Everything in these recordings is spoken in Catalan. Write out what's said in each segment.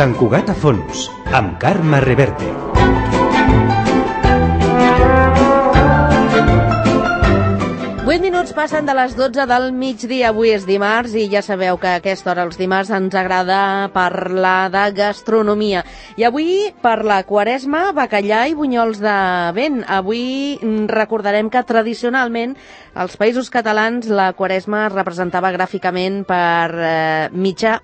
Sant Cugat a fons, amb Carme Reverte. Minuts passen de les 12 del migdia. Avui és dimarts i ja sabeu que a aquesta hora els dimarts ens agrada parlar de gastronomia. I avui, per la Quaresma, bacallà i bunyols de vent. Avui recordarem que tradicionalment als Països Catalans la Quaresma es representava gràficament per mitjà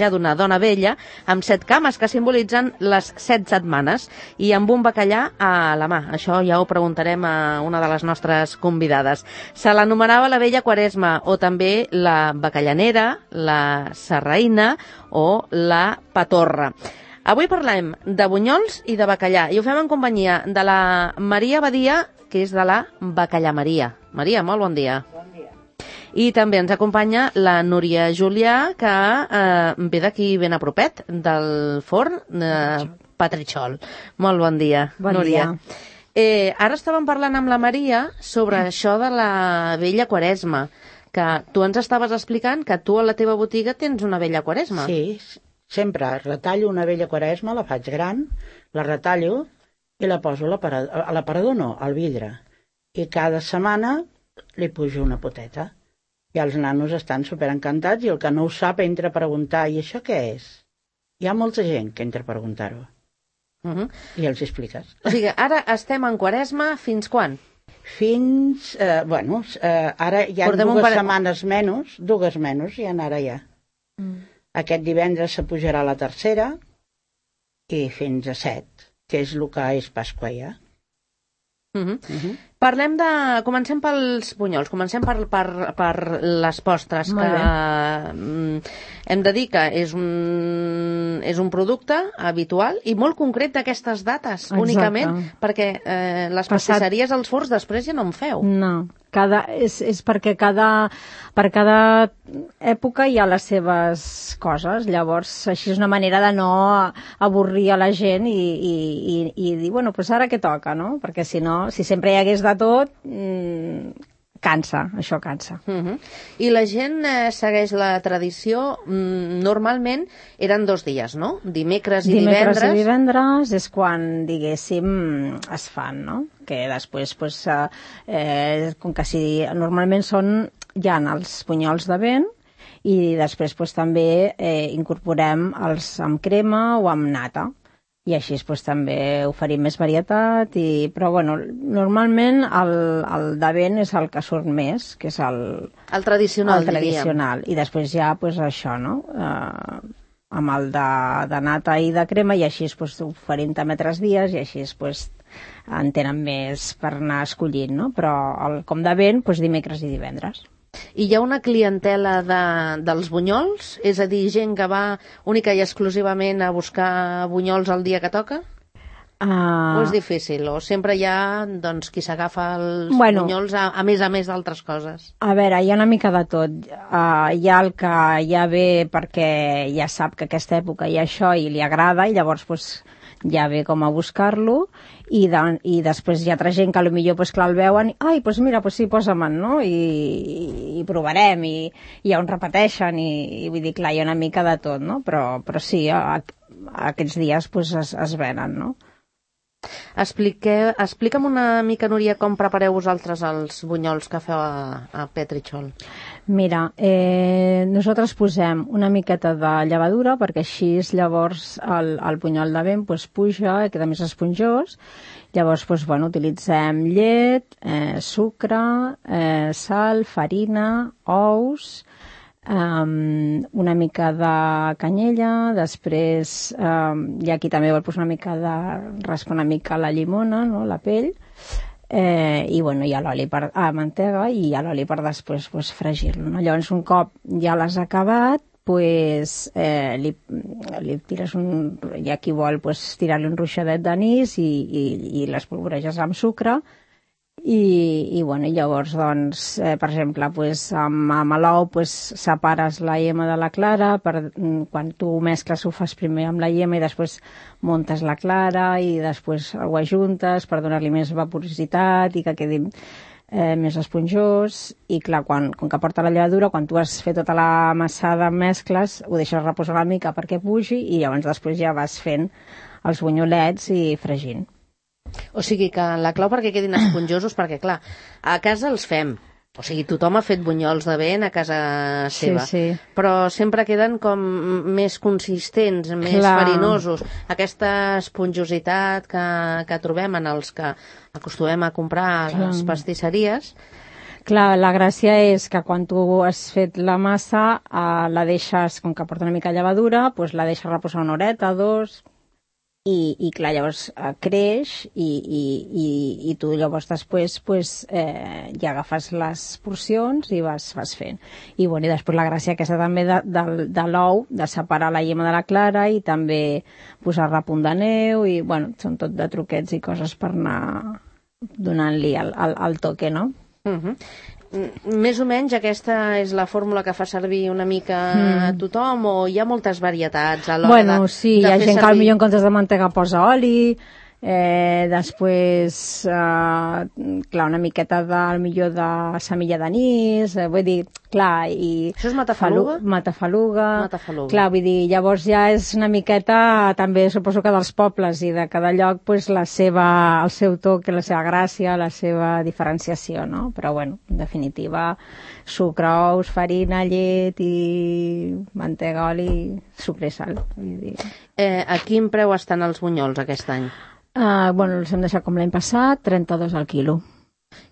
d'una dona vella amb 7 cames que simbolitzen les 7 setmanes i amb un bacallà a la mà. Això ja ho preguntarem a una de les nostres convidades. Se l'anomenava la vella Quaresma o també la bacallanera, la sarraïna o la patorra. Avui parlem de bunyols i de bacallà i ho fem en companyia de la Maria Badia, que és de la Bacallamaria. Maria, molt bon dia. Bon dia. I també ens acompanya la Núria Julià, que ve d'aquí ben a propet, del forn Petritxol. Molt bon dia, Núria. Bon dia. Ara estàvem parlant amb la Maria sobre això de la vella Quaresma, que tu ens estaves explicant que tu a la teva botiga tens una vella Quaresma. Sí, sempre retallo una vella Quaresma, la faig gran, la retallo i la poso a l'aparador, no, al vidre. I cada setmana li pujo una poteta. I els nanos estan superencantats i el que no ho sap entra a preguntar, i això què és? Hi ha molta gent que entra a preguntar-ho. I els expliques. O sigui, ara estem en Quaresma fins quan? Fins, ara hi ha setmanes menys, 2 menys, i ara ja. Aquest divendres se pujarà la tercera i fins a 7, que és el que és Pasqua ja. Comencem pels bunyols, comencem per les postres, que hem de dir que és un producte habitual i molt concret d'aquestes dates. Exacte. Únicament, perquè les pastisseries als forns després ja no en feu. No, és perquè per cada època hi ha les seves coses, llavors així és una manera de no avorrir a la gent i dir, bueno, doncs ara què toca, no? Perquè si no, si sempre hi hagués de tot, cansa, això cansa. I la gent segueix la tradició, normalment eren 2 dies, no? Dimecres i divendres. Dimecres i divendres és quan, diguéssim, es fan, no? Que després, com que si normalment hi ha els bunyols de vent i després també incorporem els amb crema o amb nata. I així també oferim més varietat, però bueno, normalment el de vent és el que surt més, que és el tradicional, diríem. I després ja, això, no? Amb el de nata i de crema, i així oferim també 3 dies, i així en tenen més per anar escollint, no? Però com de vent, dimecres i divendres. I hi ha una clientela dels bunyols? És a dir, gent que va única i exclusivament a buscar bunyols el dia que toca? O és difícil? O sempre hi ha qui s'agafa els bunyols a més d'altres coses? A veure, hi ha una mica de tot. Hi ha el que ja ve perquè ja sap que aquesta època hi ha això i li agrada, i llavors ja ve com a buscar-lo, i després hi ha altra gent que potser el veuen, mira, sí, posa-me'n, no? I provarem, i ja on repeteixen, i vull dir, clar, hi ha una mica de tot, no? Però sí, aquests dies es venen, no? Explica'm una mica, Núria, com prepareu vosaltres els bunyols que feu a Petritxol. Mira, nosaltres posem una miqueta de llevadura perquè així llavors el bunyol de vent puja i queda més esponjós. Llavors, utilitzem llet, sucre, sal, farina, ous, una mica de canyella, després hi ha qui també vol posar una mica de raspar una mica la llimona, no? La pell, i hi ha l'oli mantega, i hi ha l'oli per després fregir-lo, no? Llavors un cop ja l'has acabat, li tires hi ha qui vol tirar-li un ruixadet d'anís i les polvoreges amb sucre. I llavors, per exemple, amb l'ou separes la iema de la clara, quan tu mescles ho fas primer amb la iema i després muntes la clara i després ho ajuntes per donar-li més vaporositat i que quedi més esponjós, i clar, com que porta la llevadura, quan tu has fet tota la massada, mescles, ho deixes reposar una mica perquè pugi, i llavors després ja vas fent els bunyolets i fregint. O sigui que la clau perquè quedin esponjosos, perquè clar, a casa els fem. O sigui, tothom ha fet bunyols de vent a casa seva, Sí. però sempre queden com més consistents, més farinosos. Aquesta esponjositat que trobem en els que acostumem a comprar a les pastisseries. Clar, la gràcia és que quan tu has fet la massa, la deixes, com que porta una mica de llevadura, doncs la deixes reposar una horeta, dos, i clar, llavors creix, i tu llavors després ja agafes les porcions i vas fent. I després la gràcia aquesta també de l'ou, de separar la llima de la clara i també posar-la a punt de neu, i són tot de truquets i coses per anar donant-li el toque, no? Més o menys aquesta és la fórmula que fa servir una mica tothom, o hi ha moltes varietats a l'hora sí, hi ha gent que potser en comptes de mantega posa oli, després clar, una miqueta millor de semilla d'anís, vull dir, clar, i això és matafaluga? Matafaluga. Clar, vull dir, llavors ja és una miqueta també suposo que dels pobles i de cada lloc el seu toc, la seva gràcia, la seva diferenciació, no? Però bueno, en definitiva, sucre, ous, farina, llet i mantega, oli, sucre i sal, vull dir. A quin preu estan els bunyols aquest any? Els hem deixat com l'any passat, 32 al quilo.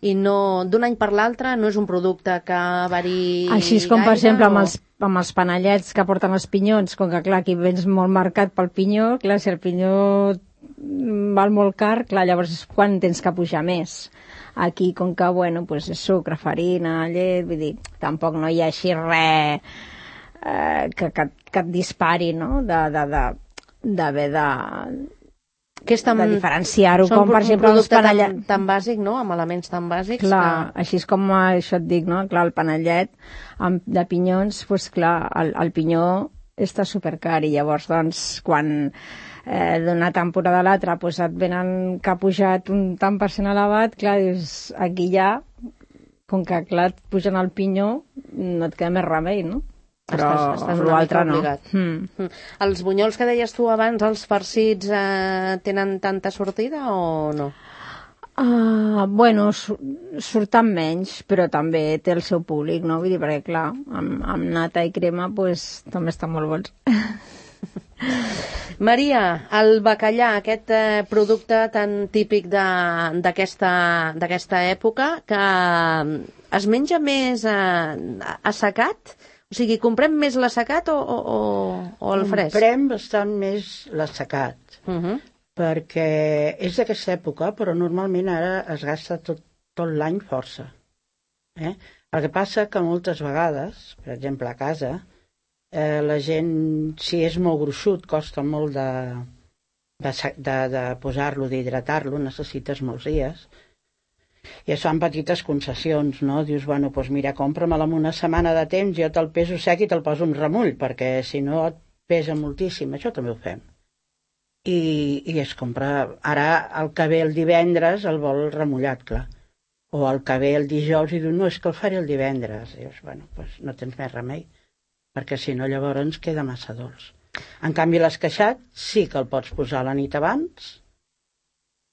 I no, d'un any per l'altre no és un producte que variï així com, per exemple, amb els panellets que porten els pinyons, com que, clar, aquí vens molt marcat pel pinyó, clar, si el pinyó val molt car, clar, llavors quan tens que pujar més? Aquí, com que, és sucre, farina, llet, vull dir, tampoc no hi ha així res que et dispari, no?, d'haver de diferenciar-ho, com per exemple els panellets tan bàsic, no?, amb elements tan bàsics. Clar, així és com això et dic, no?, clar, el panellet de pinyons, doncs clar, el pinyó està supercar, i llavors, doncs, quan d'una temporada a l'altra et venen que ha pujat un tant per cent elevat, clar, dius, aquí ja, com que clar, et pugen el pinyó, no et queda més remei, no? Però l'altre no. Els bunyols que deies tu abans, els farcits, tenen tanta sortida o no? Surten menys, però també té el seu públic, no? Vull dir, perquè clar, amb nata i crema també estan molt bons. Maria, el bacallà, aquest producte tan típic d'aquesta època, que es menja més assecat? O sigui, comprem més l'assecat o el fresc? Comprem bastant més l'assecat, perquè és d'aquesta època, però normalment ara es gasta tot l'any força. El que passa que moltes vegades, per exemple a casa, la gent, si és molt gruixut, costa molt de posar-lo, d'hidratar-lo, necessites molts dies, i es fan petites concessions, no? Dius, doncs mira, compra-me'l en una setmana de temps, jo te'l peso sec i te'l poso un remull, perquè si no et pesa moltíssim. Això també ho fem. I es compra... Ara, el que ve el divendres el vol remullat, clar. O el que ve el dijous i diu, no, és que el faré el divendres. I dius, doncs no tens més remei, perquè si no llavors ens queda massa dolç. En canvi, l'esqueixat sí que el pots posar la nit abans,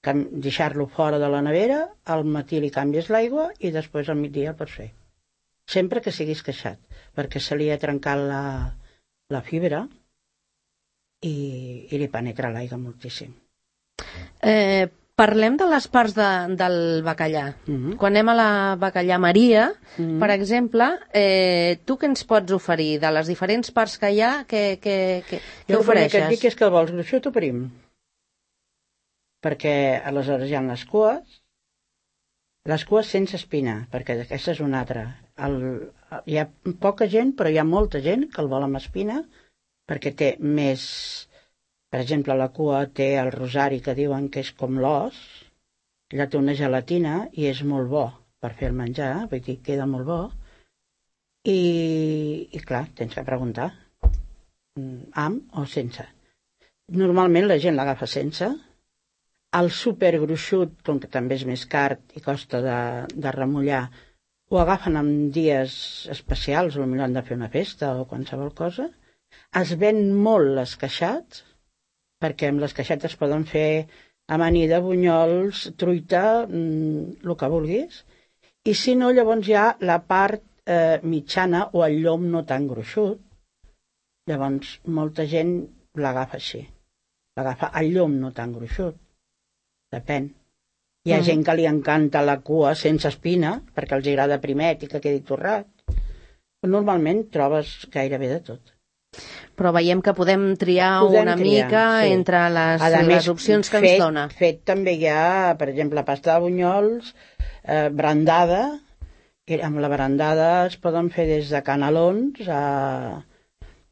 deixar-lo fora de la nevera, al matí li canvies l'aigua i després al migdia el pots fer. Sempre que sigui esqueixat, perquè se li ha trencat la fibra i li penetra l'aigua moltíssim. Parlem de les parts del bacallà. Quan anem a la bacallà Maria, per exemple, tu què ens pots oferir? De les diferents parts que hi ha, què ofereixes? Jo el que et dic és que el vols gruixut o prim, perquè aleshores hi ha les cues sense espina, perquè aquesta és una altra. Hi ha poca gent, però hi ha molta gent que el vol amb espina, perquè té més... Per exemple, la cua té el rosari, que diuen que és com l'os, ella té una gelatina i és molt bo per fer el menjar, vull dir, queda molt bo. I clar, tens que preguntar, amb o sense. Normalment la gent l'agafa sense. El supergruixut, com que també és més car i costa de remullar, ho agafen en dies especials, potser han de fer una festa o qualsevol cosa. Es ven molt l'esqueixat, perquè amb l'esqueixat es poden fer amanida, bunyols, truita, el que vulguis. I si no, llavors hi ha la part mitjana o el llom no tan gruixut. Llavors, molta gent l'agafa així. L'agafa el llom no tan gruixut. Depèn. Hi ha gent que li encanta la cua sense espina, perquè els agrada primet i que quedi torrat. Normalment trobes gairebé de tot. Però veiem que podem triar una mica entre les opcions que ens dona. Fet també hi ha, per exemple, pasta de bunyols, brandada, i amb la brandada es poden fer des de canelons a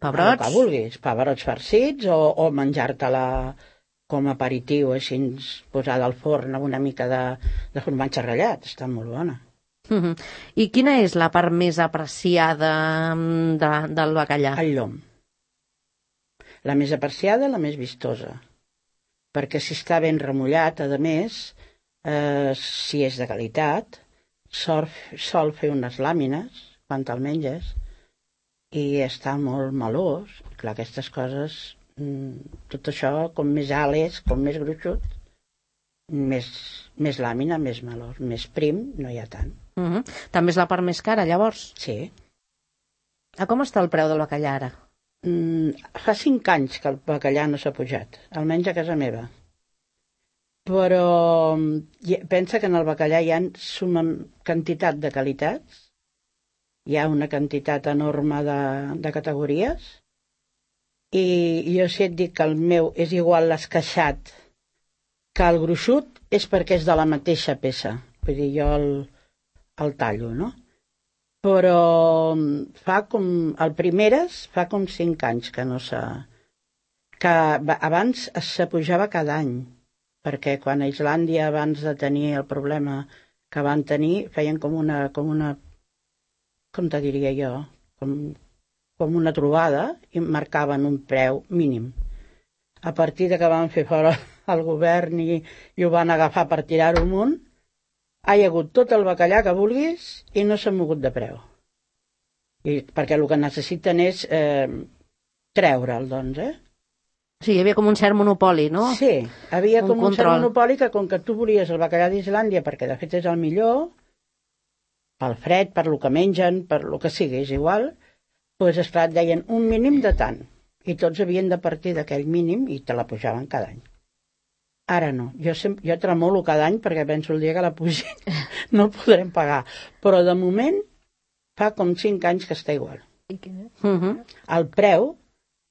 pebrots, el que vulguis, pebrots farcits o menjar-te-la com a aperitiu, així posada al forn amb una mica de formatge ratllat. Està molt bona. I quina és la part més apreciada del bacallà? El llom. La més apreciada, la més vistosa. Perquè si està ben remullat, a més, si és de qualitat, sol fer unes làmines quan te'l menges i està molt melós. Clar, aquestes coses, tot això, com més alt és, com més gruixut, més làmina, més melós, més prim, no hi ha tant. També és la part més cara, llavors? Sí. A com està el preu del bacallà ara? Fa 5 anys que el bacallà no s'ha pujat, almenys a casa meva. Però pensa que en el bacallà hi ha suma quantitat de qualitats, hi ha una quantitat enorme de categories, i jo si et dic que el meu és igual l'esqueixat que el gruixut, és perquè és de la mateixa peça. Vull dir, jo el tallo, no? Però fa com... El primeres fa com 5 anys que no s'ha... Que abans se pujava cada any, perquè quan a Islàndia, abans de tenir el problema que van tenir, feien com una com te diria jo, com una trobada i marcaven un preu mínim. A partir de que van fer fora el govern i ho van agafar per tirar-ho amunt, hi ha hagut tot el bacallà que vulguis i no s'ha mogut de preu. Perquè el que necessiten és treure'l, doncs, Sí, hi havia com un cert monopoli, no? Sí, havia com un cert monopoli que com que tu volies el bacallà d'Islàndia, perquè de fet és el millor, pel fred, per lo que mengen, per lo que sigui, és igual, doncs esclar, et deien un mínim de tant, i tots havien de partir d'aquell mínim i te la pujaven cada any. Ara no, jo tremolo cada any perquè penso el dia que la pugin no el podrem pagar, però de moment fa com 5 anys que està igual. El preu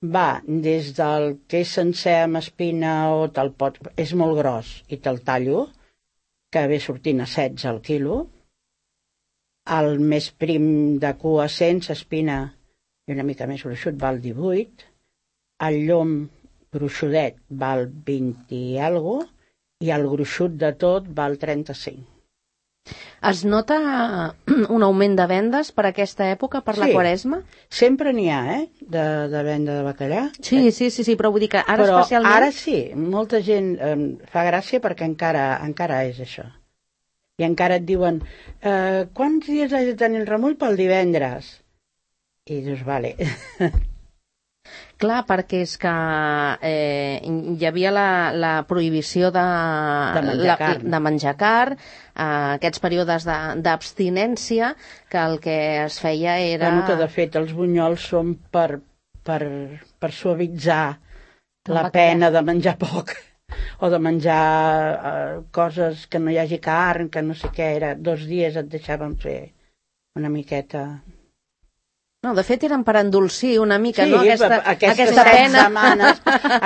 va des del que és sencer amb espina o te'l pot... És molt gros i te'l tallo, que ve sortint a 16 al quilo. El més prim de cua sense espina i una mica més gruixut val 18. El llom gruixudet val 20 i alguna cosa, i el gruixut de tot val 35. Es nota un augment de vendes per aquesta època, per la Quaresma? Sempre n'hi ha, de venda de bacallà. Sí, però vull dir que ara especialment... Ara sí, molta gent fa gràcia perquè encara és això. I encara et diuen, quants dies has de tenir el remull pel divendres? I dius, vale... Clar, perquè és que hi havia la prohibició de menjar carn, aquests períodes d'abstinència, que el que es feia era... Que de fet els bunyols són per suavitzar la pena de menjar poc, o de menjar coses que no hi hagi carn, que no sé què, 2 dies et deixaven fer una miqueta... No, de fet eren per endolcir una mica, sí, no? Aquesta pena.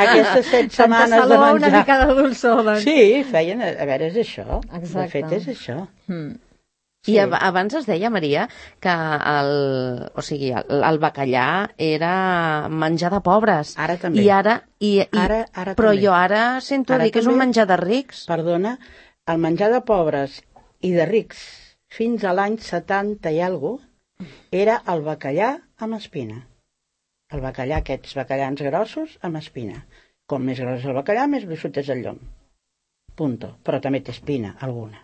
Aquestes 7 setmanes de menjar. Una mica de dolçor, doncs. Sí, feien... A veure, és això. Exacte. De fet, és això. Sí. I abans es deia, Maria, que el bacallà era menjar de pobres. Ara també. Ara però també. Jo ara sento dir que és un menjar de rics. Perdona, el menjar de pobres i de rics fins a l'any 70 i alguna cosa era el bacallà amb espina. El bacallà, aquests bacallans grossos amb espina. Com més gros el bacallà, més gruixut és el llom. punto, però també té espina, alguna.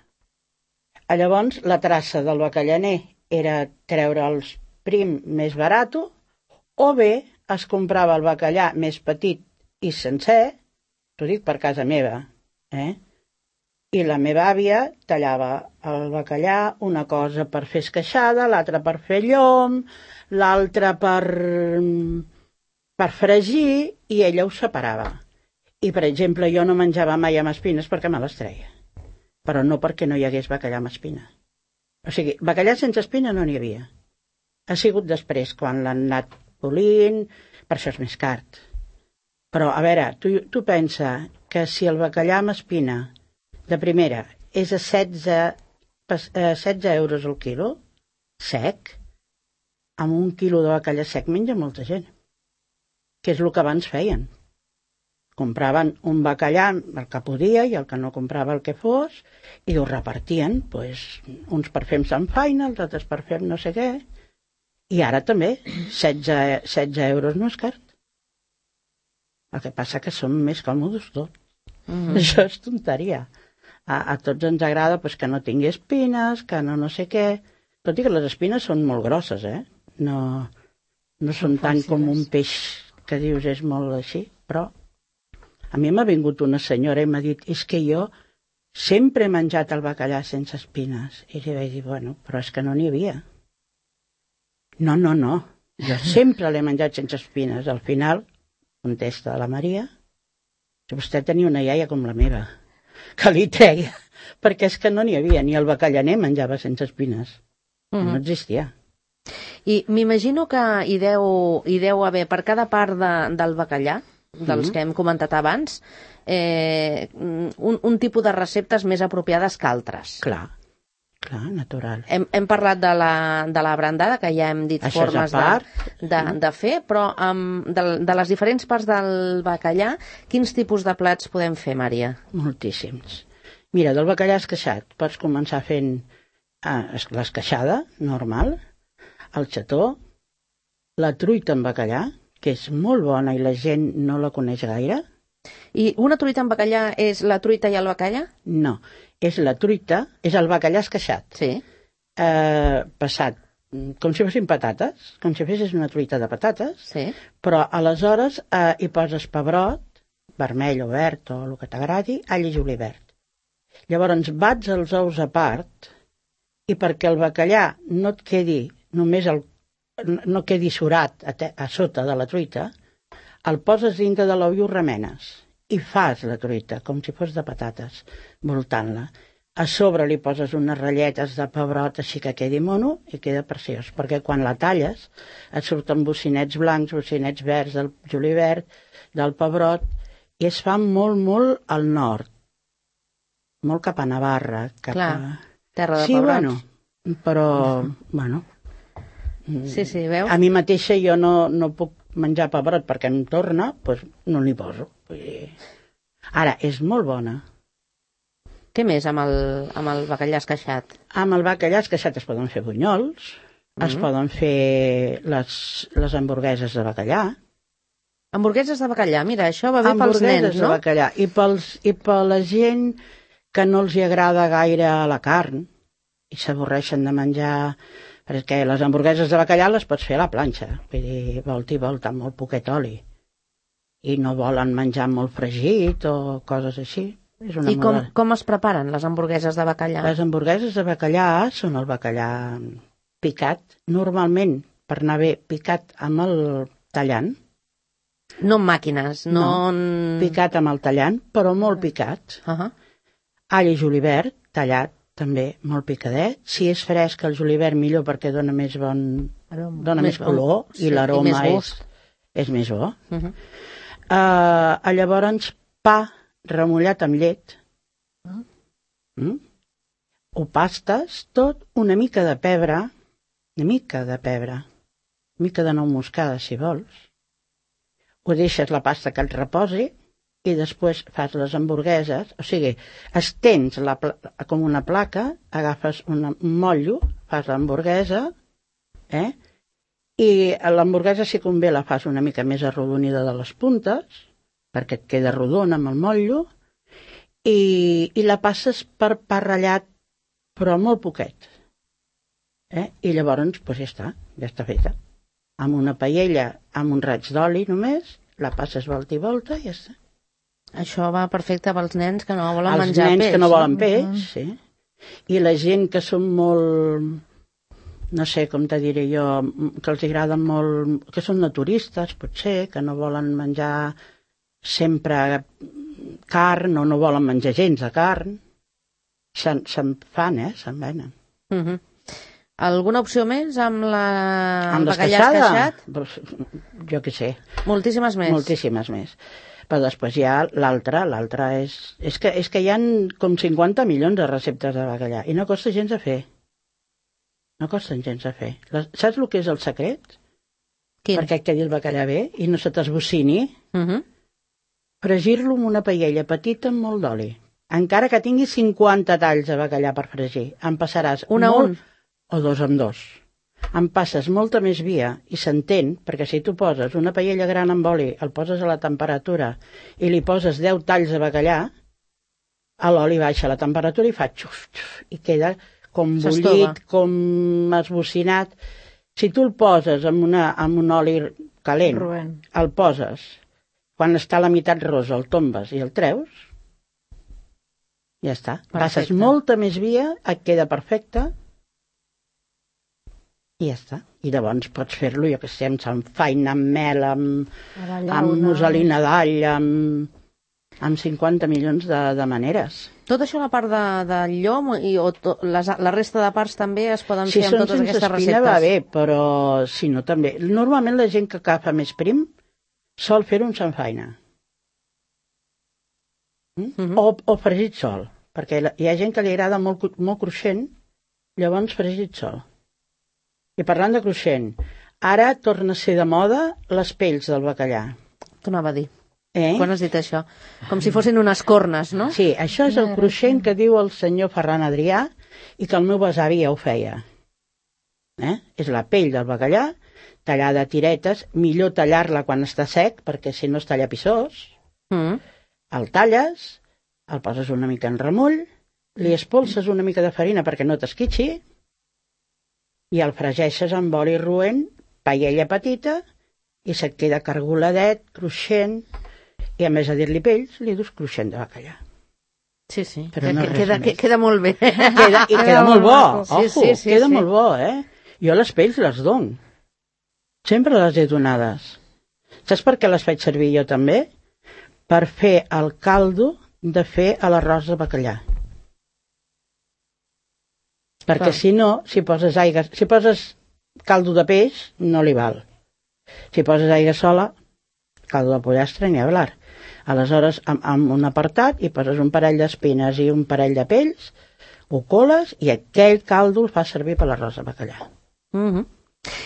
Llavors, la traça del bacallaner era treure el prim més barat, o bé es comprava el bacallà més petit i sencer, t'ho dic per casa meva, i la meva àvia tallava el bacallà, una cosa per fer esqueixada, l'altra per fer llom, l'altra per fregir, i ella ho separava. I, per exemple, jo no menjava mai amb espines perquè me les treia, però no perquè no hi hagués bacallà amb espina. O sigui, bacallà sense espina no n'hi havia. Ha sigut després, quan l'han anat polint, per això és més car. Però, a veure, tu pensa que si el bacallà amb espina de primera és a 16 euros el quilo, sec, amb un quilo de bacallà sec menja molta gent, que és el que abans feien. Compraven un bacallà, el que podia, i el que no comprava el que fos, i ho repartien, uns per fer amb Sant Faina, els altres per fer no sé què. I ara també, 16 euros no és car. El que passa que som més còmodes tots. Això és tonteria. A tots ens agrada que no tingui espines, que no sé què. Tot i que les espines són molt grosses, no són tant com un peix que dius és molt així, però a mi m'ha vingut una senyora i m'ha dit és que jo sempre he menjat el bacallà sense espines. I li vaig dir, bueno, però és que no n'hi havia. No, jo sempre l'he menjat sense espines. Al final, contesta la Maria, si vostè tenia una iaia com la meva, que li treia, perquè és que no n'hi havia, ni el bacallaner menjava sense espines. No existia. I m'imagino que hi deu haver per cada part del bacallà, dels que hem comentat abans, un tipus de receptes més apropiades que altres. Clar, natural. Hem parlat de la brandada, que ja hem dit això formes de fer, però de les diferents parts del bacallà, quins tipus de plats podem fer, Maria? Moltíssims. Mira, del bacallà esqueixat pots començar fent l'esqueixada normal, el xató, la truita amb bacallà, que és molt bona i la gent no la coneix gaire. I una truita amb bacallà és la truita i el bacallà? No, és la truita, és el bacallà esqueixat. Sí. Passat, com si fossin patates, com si fessis una truita de patates, sí. Però aleshores hi poses pebrot, vermell o verd o el que t'agradi, all i julivert. Llavors bats els ous a part i perquè el bacallà no et quedi només no quedi surat a sota de la truita, el poses dintre de l'ou i ho remenes i fas la truita com si fos de patates, voltant-la. A sobre li poses unes ratlletes de pebrot així que quedi mono i queda preciós, perquè quan la talles et surten bocinets blancs, bocinets verds del julivert, del pebrot, i es fa molt, molt al nord, molt cap a Navarra, Clar, terra de sí, pebrots. Però, bueno... Sí, veus? A mi mateixa jo no puc menjar pebrot perquè em torna, doncs no n'hi poso. Ara, és molt bona. Què més amb el bacallà esqueixat? Amb el bacallà esqueixat es poden fer bunyols, es poden fer les hamburgueses de bacallà. Hamburgueses de bacallà, mira, això va bé pels nens, no? De bacallà. I per la gent que no els agrada gaire la carn i s'avorreixen de menjar... Perquè les hamburgueses de bacallà les pots fer a la planxa, vull dir, volta i volta, amb molt poquet oli. I no volen menjar molt fregit o coses així. I com es preparen les hamburgueses de bacallà? Les hamburgueses de bacallà són el bacallà picat, normalment, per anar bé, picat amb el tallant. No amb màquines, no... picat amb el tallant, però molt picat. All i julivert, tallat, també molt picadet. Si és fresc el julivert millor perquè dona més color i l'aroma és més bo. Llavors pa remullat amb llet, ho pastes tot, una mica de pebre, una mica de nou moscada si vols, ho deixes la pasta que et reposi i després fas les hamburgueses, o sigui, estens com una placa, agafes un motllo, fas l'hamburguesa, i l'hamburguesa, si convé, la fas una mica més arrodonida de les puntes, perquè et queda rodona amb el motllo, i la passes per pa ratllat, però molt poquet. I llavors, doncs ja està feta. Amb una paella, amb un raig d'oli només, la passes volta i volta i ja està. Això va perfecte pels nens que no volen menjar peix. Els nens que no volen peix, sí. I la gent que són molt, no sé com te diré jo, que els agrada molt, que són naturistes, potser, que no volen menjar sempre carn o no volen menjar gens de carn, se'n fan, se'n venen. Alguna opció més amb amb bacallà esqueixat? Jo què sé. Moltíssimes més. Moltíssimes més. Però després hi ha l'altra és... És que hi ha com 50 milions de receptes de bacallà i no costa gens de fer. No costen gens de fer. Saps el que és el secret? Quin? Perquè quedi el bacallà bé i no se t'esbocini. Fregir-lo amb una paella petita amb molt d'oli. Encara que tingui 50 talls de bacallà per fregir, en passaràs un a un o dos amb dos. En passes molta més via i s'entén, perquè si tu poses una paella gran amb oli, el poses a la temperatura i li poses 10 talls de bacallà, l'oli baixa la temperatura i fa xuf, xuf, i queda com bullit, com esbocinat. Si tu el poses amb un oli calent, el poses, quan està a la meitat rosa el tombes i el treus, ja està. Passes molta més via, et queda perfecte, i ja està. I llavors pots fer-lo, jo que sé, amb samfaina, amb mel, amb musselina d'all, amb 50 milions de maneres. Tot això la part del llom i la resta de parts també es poden fer amb totes aquestes receptes? Si són sense espina va bé, però si no també. Normalment la gent que agafa més prim sol fer un samfaina. O fregit sol, perquè hi ha gent que li agrada molt cruixent, llavors fregit sol. I parlant de cruixent, ara torna a ser de moda les pells del bacallà. T'ho anava a dir. Quan has dit això? Com si fossin unes cornes, no? Sí, això és el cruixent que diu el senyor Ferran Adrià i que el meu besavi ja ho feia. És la pell del bacallà, tallada a tiretes, millor tallar-la quan està sec, perquè si no es talla pissós. El talles, el poses una mica en remull, li espolses una mica de farina perquè no t'esquitxi, i el fregeixes amb oli roent, paella petita, i se't queda cargoladet, cruixent, i a més a dir-li pells, li dus cruixent de bacallà. Sí, queda molt bé. I queda molt bo, queda molt bo, Jo les pells les dono. Sempre les he donades. Saps per què les faig servir jo també? Per fer el caldo de fer a l'arròs de bacallà. Perquè si no, si poses caldo de peix, no li val. Si poses aigua sola, caldo de pollastre, ni hablar. Aleshores, amb un apartat, hi poses un parell d'espines i un parell de pells, ho coles i aquell caldo el fa servir per l'arròs de bacallà.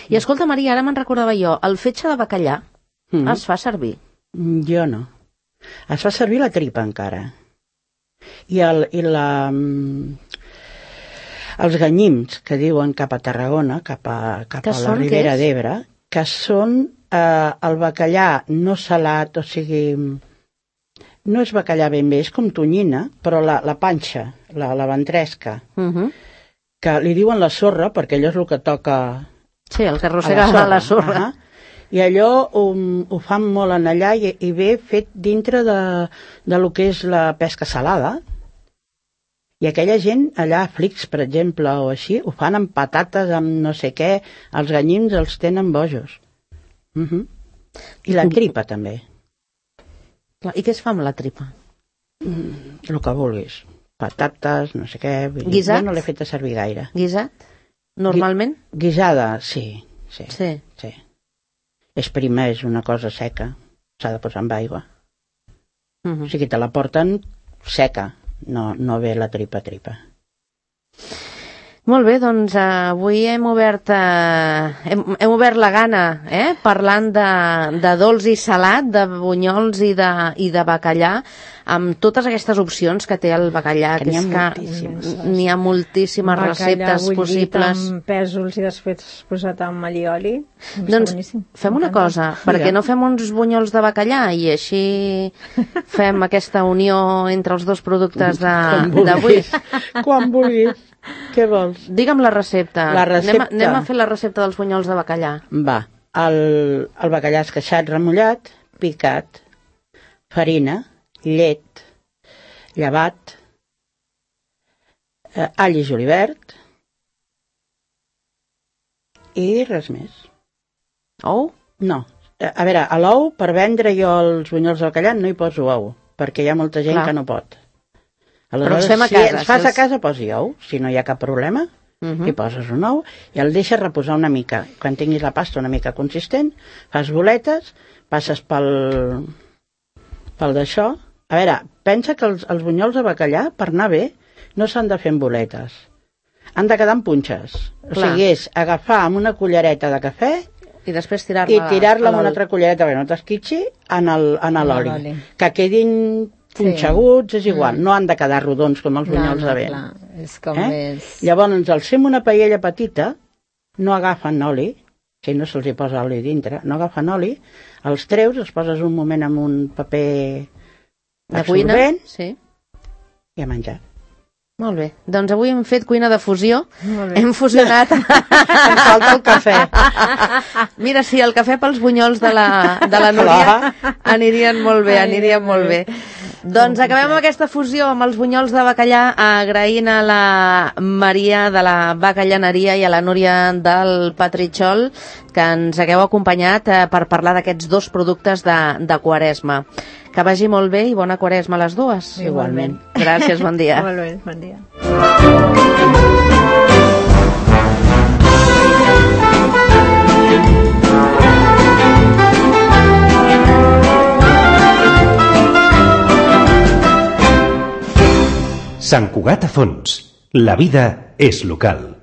I escolta, Maria, ara me'n recordava jo, el fetge de bacallà es fa servir? Jo no. Es fa servir la tripa encara. Els ganyims, que diuen cap a Tarragona, cap a la Ribera d'Ebre, que són el bacallà no salat, o sigui, no és bacallà ben bé, és com tonyina, però la panxa, la ventresca, que li diuen la sorra, perquè allò és el que toca... Sí, el que arrossega la sorra. I allò ho fan molt en allà i ve fet dintre de lo que és la pesca salada. I aquella gent allà a Flix, per exemple, o així, ho fan amb patates, amb no sé què, els ganyims els tenen bojos. I la tripa també. I què es fa amb la tripa? El que vulguis. Patates, no sé què... Guisat? Jo no l'he fet a servir gaire. Guisat? Normalment? Guisada, sí. És prima, és una cosa seca. S'ha de posar amb aigua. O sigui, te la porten seca. No ve la tripa. Molt bé, doncs avui hem obert la gana, parlant de dolç i salat, de bunyols i de bacallà. amb totes aquestes opcions que té el bacallà, que és que n'hi ha moltíssimes receptes possibles. Amb pèsols i després posat amb allioli. Doncs fem una cosa, perquè no fem uns bunyols de bacallà i així fem aquesta unió entre els dos productes d'avui. Quan vulguis. Què vols? Digue'm la recepta. Anem a fer la recepta dels bunyols de bacallà. Va, el bacallà esqueixat, remullat, picat, farina, llet, llevat, all i julivert i res més. Ou? No. A veure, a l'ou, per vendre jo els bunyols de bacallà no hi poso ou, perquè hi ha molta gent que no pot. Però els fem a casa. Si els fas a casa, posi ou, si no hi ha cap problema, hi poses un ou i el deixes reposar una mica. Quan tinguis la pasta una mica consistent, fas boletes, passes pel d'això. A veure, pensa que els bunyols de bacallà, per anar bé, no s'han de fer en boletes. Han de quedar en punxes. O sigui, és agafar amb una cullereta de cafè i després tirar-la amb una altra cullereta, perquè no t'esquitxi, en l'oli. Que quedin punxeguts, és igual, no han de quedar rodons com els bunyols de vent. És com més... Llavors, els fem una paella petita, no agafen oli, si no se'ls hi posa oli dintre, no agafen oli, els treus, els poses un moment amb un paper absorbent i a menjar. Molt bé. Doncs avui hem fet cuina de fusió. Hem fusionat... Ens falta el cafè. Mira, sí, el cafè pels bunyols de la Núria anirien molt bé, Doncs acabem amb aquesta fusió amb els bunyols de bacallà, agraint a la Maria de la Bacallaneria i a la Núria del Petritxol que ens hagueu acompanyat per parlar d'aquests dos productes de Quaresma. Que vagi molt bé i bona Quaresma a les dues. Igualment. Gràcies, bon dia. Molt bé, bon dia. Sant Cugat a Fons. La vida és local.